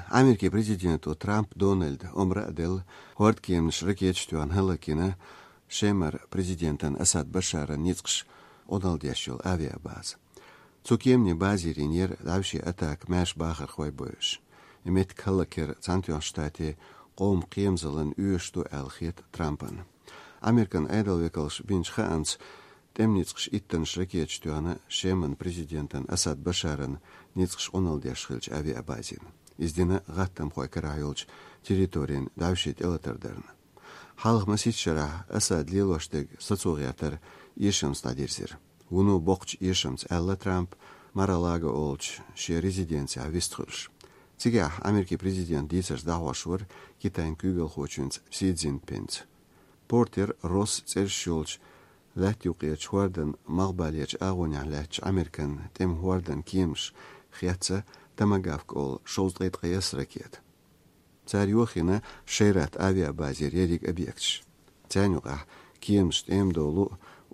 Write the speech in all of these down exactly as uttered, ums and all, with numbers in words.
Америкин президенто Трамп Дональда омра а делла, хӀордкеманаш ракеташца тоьхна хӀаллакйина Шемара президентан Асад Башаран ницкъаш Ӏуналла деш йолу авиабаза. Цу кеманийн базера йинера дӀаьвше атака маьрша бахархой бойуш. И меттиг хӀаллакъяр Цхьаьнатоьхначу Штатийн къоман кхерамзаллина оьшуш ду аьлла хета Трампана. Американ Ӏедалан векалша бинчу хаамца, тӀеман ницкъаш иттаннаш ракеташца тоьхна Шеман президентан Асад Башаран ницкъаш Ӏуналла деш хиллачу авиабазина. Иза дина гӀаттамхойн карахь йолчу территорина дӀаьвше тӀелатар дарна. Хьалха масийтта шарахь Асада лелош дерг сацо гӀертар эшамца дӀадирзира. Вуно боккхачу эшамца аьлла Трампа Мар-а-Лаго олучу шен резиденцехь вистхуьлуш. Цигахь Америкин президентан дийцарш дӀахьош вара Китайн куьйгалхочуьнца Си Цзиньпинца. Портера Росс цӀераш йолчу лаьтта юккъерчу хӀордан малхбалерчу агӀонехь лаьттачу Американ тӀеман хӀордан кеманаш хецна Томагавк олу шовзткъе ткъайесна ракета. Цара йохийна Шейрат авиабазера ерриг объекташ. Царна юкъахь кеманаш тӀеман долу,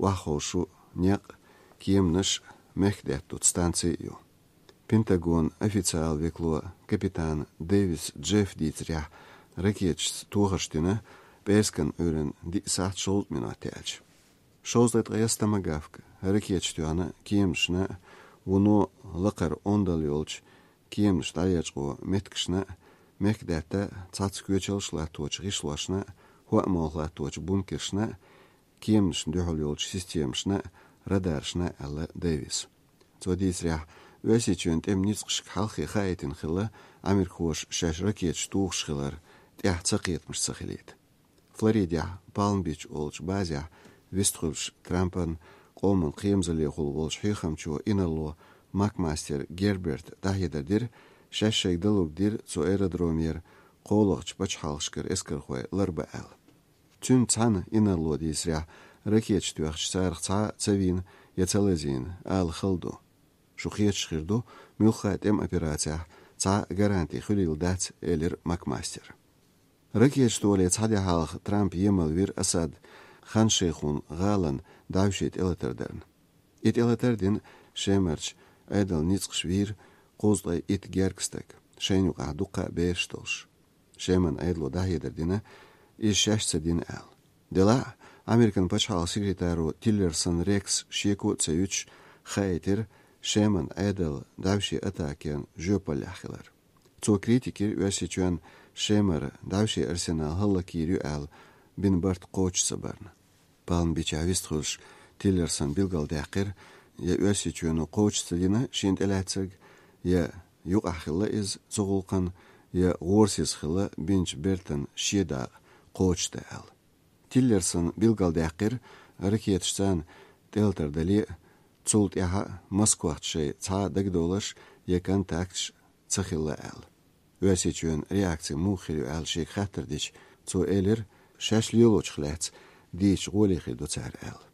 охьаховшу некъ, кеманаш, мехкдаьтта дутту станци а ю. Пентагонан официалан векало капитан Дэвис Джеффа дийцарехь, ракеташца тохарш дина пӀераскан Ӏуьйранна диъ сахьт шовзткъа минот яьлча. Шовзткъе ткъайесна томагавк ракеташца тоьхна кеманашна, вуно лакхара ондалла йолчу кеманаш дӀалечкъо меттигашна, мехкдаьтта цхьацца коьчалш латточу гӀишлошна, хӀоа молха латточу бункершна, кеманашна дуьхьал йолчу системашна, радаршна, аьлла Дэвиса. Цо дийцарехь, Оьрсийчоьнан тӀеман ницкъашка хьалххе хаийтина хилла, америкахоша шаьш ракеташ тухуш хилар тӀехь цакхетамаш ца хилийта. Флоридехь Палм-Бич олучу базехь вистхуьлуш Трампан къоман кхерамзаллехула волчу хьехамчо инарло Макмастер Герберта дӀахьедар дира, шаьш шайга далург дира цу аэродромера кхоалгӀачу пачхьалкхашкара эскархой ларбан аьлла. Цуьнца цхьаьна инарло дийцарехь, ракеташ тоьхча царах цхьа а ца вийна я ца лазийна ала хала ду. Шу кхеташ хир ду, муьлхха а тӀеман операцехь цхьа а гаранти хуьлийла дац, элира Макмастера. Ракеташ тохале цхьа де хьалха Трампа емал вира Асад Хан-Шейхун гӀалин дӀаьвше тӀелатар дарна. И тӀелатар дина Шемарчу Ӏедалан ницкъаша вийра кхузткъе итт гергга стаг, шайна юкъахь дуккха а бераш долуш. Шеман Ӏедало дӀахьедар дина, иза шаьш ца дина аьлла. Делахь а, Американ пачхьалкхан секретаро Тиллерсон Рекса шеко а ца юьтуш хаийтира Шеман Ӏедал дӀаьвше атакина жоьпаллехь хилар. Цо критика йира Оьрсийчоьнан Шемара дӀаьвше арсенал хӀаллакйийр ю аьлла бина барт кхочуш ца барна. Палм-Бичехь вистхуьлуш Тиллерсон билгалдаьккхира, я Оьрсийчоьно кхочуш ца дина шена тӀелаьцнарг, я юкъахь хилла иза цу гӀуллакхна, я гӀорасиз хилла бинчу бертан шен дакъа кхочушдан аьлла. Тиллерсон билгалдаьккхира, ракеташ царна тӀелатар дале а, цул тӀаьхьа а Москвахца шайн цхьа а дагадовларш я контакташ ца хилла аьлла. Оьрсийчоьнан реакци муха хир ю аьлла шега хаттар дича, цо элира, шаьш лелочух лаьцна дийцича гӀоле хир ду цара аьлла.